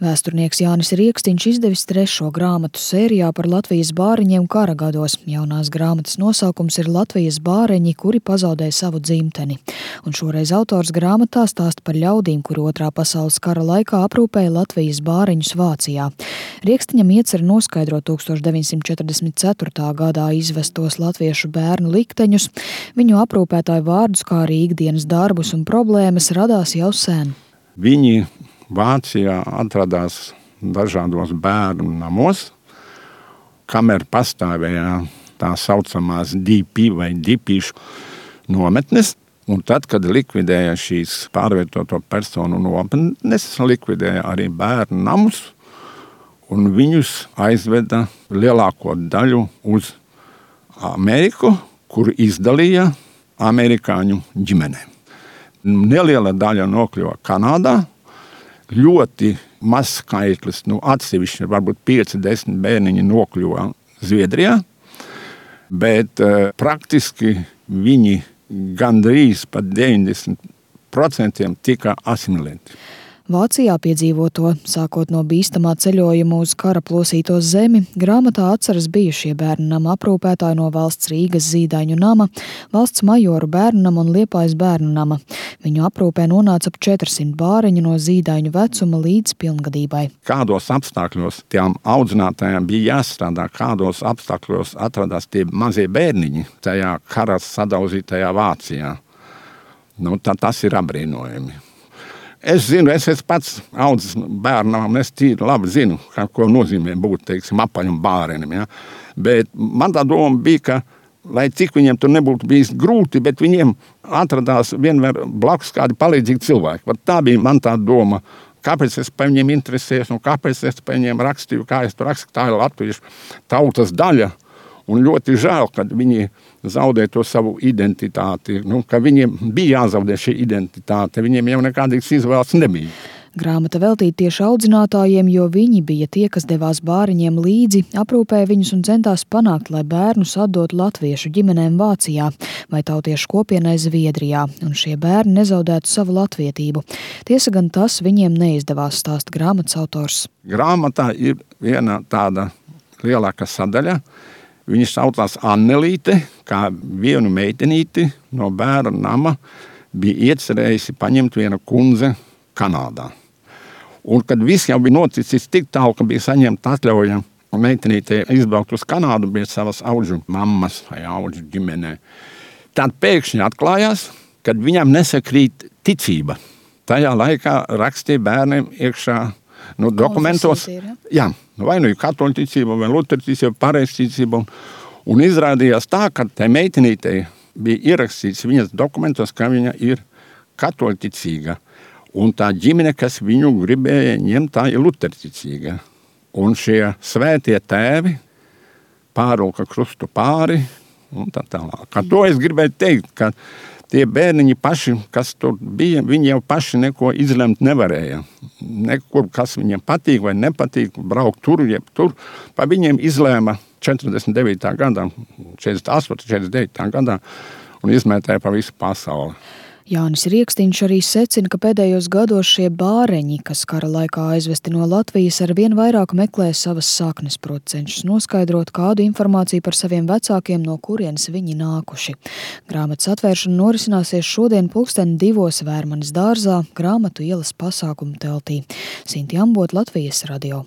Vēsturnieks Jānis Riekstiņš izdevis 3. grāmatu sērijā par Latvijas bāriņiem kara gados. Jaunās grāmatas nosaukums ir Latvijas bāreņi, kuri pazaudēja savu dzimteni. Un šoreiz autors grāmatā stāsta par ļaudīm, kuri Otrā pasaules kara laikā aprūpēja Latvijas bāreņus Vācijā. Riekstiņam iecer noskaidrot 1944. gadā izvestos latviešu bērnu likteņus, viņu aprūpētāju vārdus, kā arī ikdienas darbus un problēmas radās jau sen. Viņi Vācijā atradās dažādos bērnu namos, kamēr pastāvēja tā saucamās DP vai dipīšu nometnes, un tad, kad likvidēja šīs pārvietoto personu nometnes, likvidēja arī bērnu namus, un viņus aizveda lielāko daļu uz Ameriku, kur izdalīja amerikāņu ģimenēm. Neliela daļa nokļuva Kanādā, ļoti maz skaitlis, atsevišķi varbūt 5-10 bērniņi nokļuva Zviedrijā, bet praktiski viņi gandrīz pat 90% tika asimilēti. Vācijā piedzīvoto, sākot no bīstamā ceļojuma uz kara plosīto zemi, grāmatā atceras bijušie bērnu nama aprūpētāji no valsts Rīgas Zīdaiņu nama, valsts majoru bērnu nama un Liepājas bērnu nama. Viņu aprūpē nonāca ap 400 bāriņu no zīdaiņu vecuma līdz pilngadībai. Kādos apstākļos tiem audzinātājiem bija jāstrādā, kādos apstākļos atradās tie mazie bērniņi tajā kara sadauzītajā Vācijā. Tas ir apbrīnojami. Es zinu, es esmu pats audzis bērnam, es tīri labi zinu, ko nozīmē būt, apaļam bārenim. Ja? Bet man tā doma bija, ka, lai cik viņiem tur nebūtu bijis grūti, bet viņiem atradās vienmēr blakus kādi palīdzīgi cilvēki. Tā bija man tā doma, kāpēc es par viņiem interesējos un kāpēc es par viņiem rakstīju, kā es tur rakstīju, tā ir latviešu tautas daļa. Un ļoti žēl, kad viņi zaudē to savu identitāti, ka viņiem bija jāzaudē šī identitāte, viņiem jau nekādīgas izvēles nebija. Grāmata veltīta tieši audzinātājiem, jo viņi bija tie, kas devās bāriņiem līdzi, aprūpēja viņus un centās panākt, lai bērnus atdot latviešu ģimenēm Vācijā vai tautiešu kopienai Zviedrijā, un šie bērni nezaudētu savu latvietību. Tiesa gan tas viņiem neizdevās, stāsta grāmatas autors. Grāmatā ir viena tāda lielāka sadaļa. Viņa saucās Annelīte, kā vienu meitenīti no bērnu nama bija iecerējusi paņemt viena kundze Kanādā. Un kad viss jau bija noticis tik tālu, ka bija saņemta atļauja meitenītei izbraukt uz Kanādu, bija savas audžu mammas vai audžu ģimenē. Tad pēkšņi atklājās, kad viņam nesakrīt ticība. Tajā laikā rakstīja bērniem iekšā dokumentos, vai nu katoļu ticība, vai luteru ticība, pareizticība. Un izrādījās tā, ka tai meitenītei bija ierakstīts viņas dokumentos, ka viņa ir katoļu ticīga. Un tā ģimene, kas viņu gribēja ņemt, tā ir luteru ticīga. Un šie svētie tēvi pārulka krustu pāri un tā tālāk. Kā to es gribēju teikt, ka tie bērniņi paši, kas tur bija, viņi jau paši neko izlemt nevarēja. Nekur, kas viņiem patīk vai nepatīk, braukt tur, jeb tur. Pa viņiem izlēma 49. gadā, 48. 49. gadā un izmētāja pa visu pasauli. Jānis Riekstiņš arī secina, ka pēdējos gados šie bāreņi, kas kara laikā aizvesti no Latvijas, arvien vairāk meklē savas saknes, proti cenšas noskaidrot kādu informāciju par saviem vecākiem, no kurienes viņi nākuši. Grāmatas atvēršana norisināsies šodien 2:00 Vērmanis dārzā, Grāmatu ielas pasākumu teltī. Sinti Ambot, Latvijas radio.